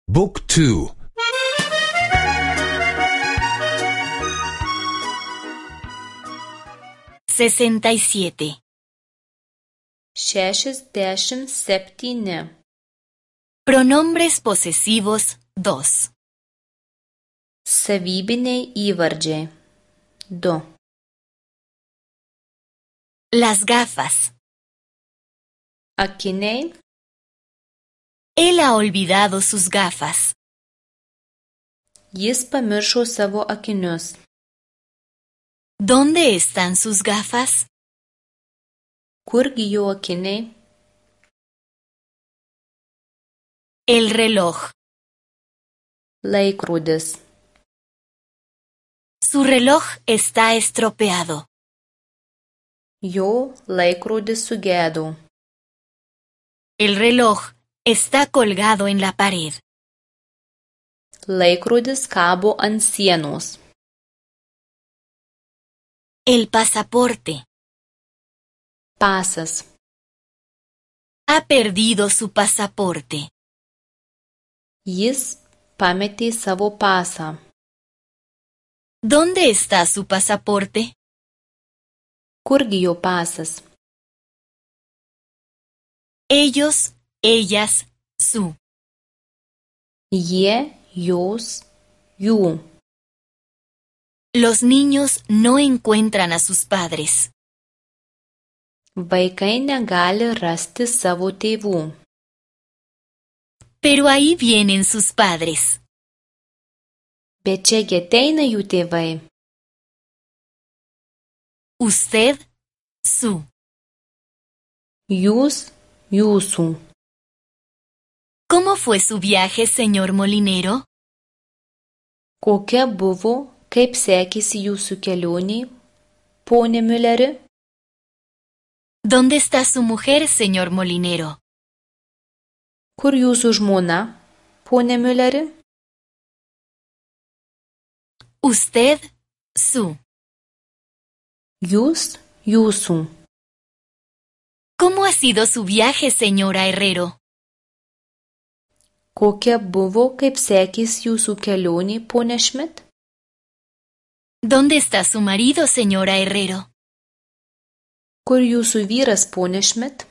Book 2. 67. 67. Pronombres posesivos 2. Savybiniai įvardžiai 2. Las gafas. Akiniai. Él ha olvidado sus gafas. Jis pamiršo savo akinius. ¿Dónde están sus gafas? Kurgi jo akiniai? El reloj. Laikrodis. Su reloj está estropeado. Jo laikrodis sugedo. El reloj está colgado en la pared. Laikrodis kabo ant sienos. El pasaporte. Pasas. Ha perdido su pasaporte. Jis pametė savo pasą. ¿Dónde está su pasaporte? Kurgi jo pasas? Ellos, ellas, su. Jie, jos, jų. Los niños no encuentran a sus padres. Vaikai negali rasti savo tėvų. Pero ahí vienen sus padres. Bet čiagi ateina jų tėvai. Usted, su. Jūs, jūsų. ¿Cómo fue su viaje, señor molinero? Kokia buvo, kaip sekėsi jūsų kelionė, pone Mülleri? ¿Dónde está su mujer, señor molinero? Kur jūsų žmona, pone Mülleri? Usted, su. Jūs, jūsų. ¿Cómo ha sido su viaje, señora Herrero? Kokia buvo, kaip sekėsi jūsų kelionė, pone Schmidt? ¿Dónde está su marido, señora Herrero? Kur jūsų vyras, pone Schmidt?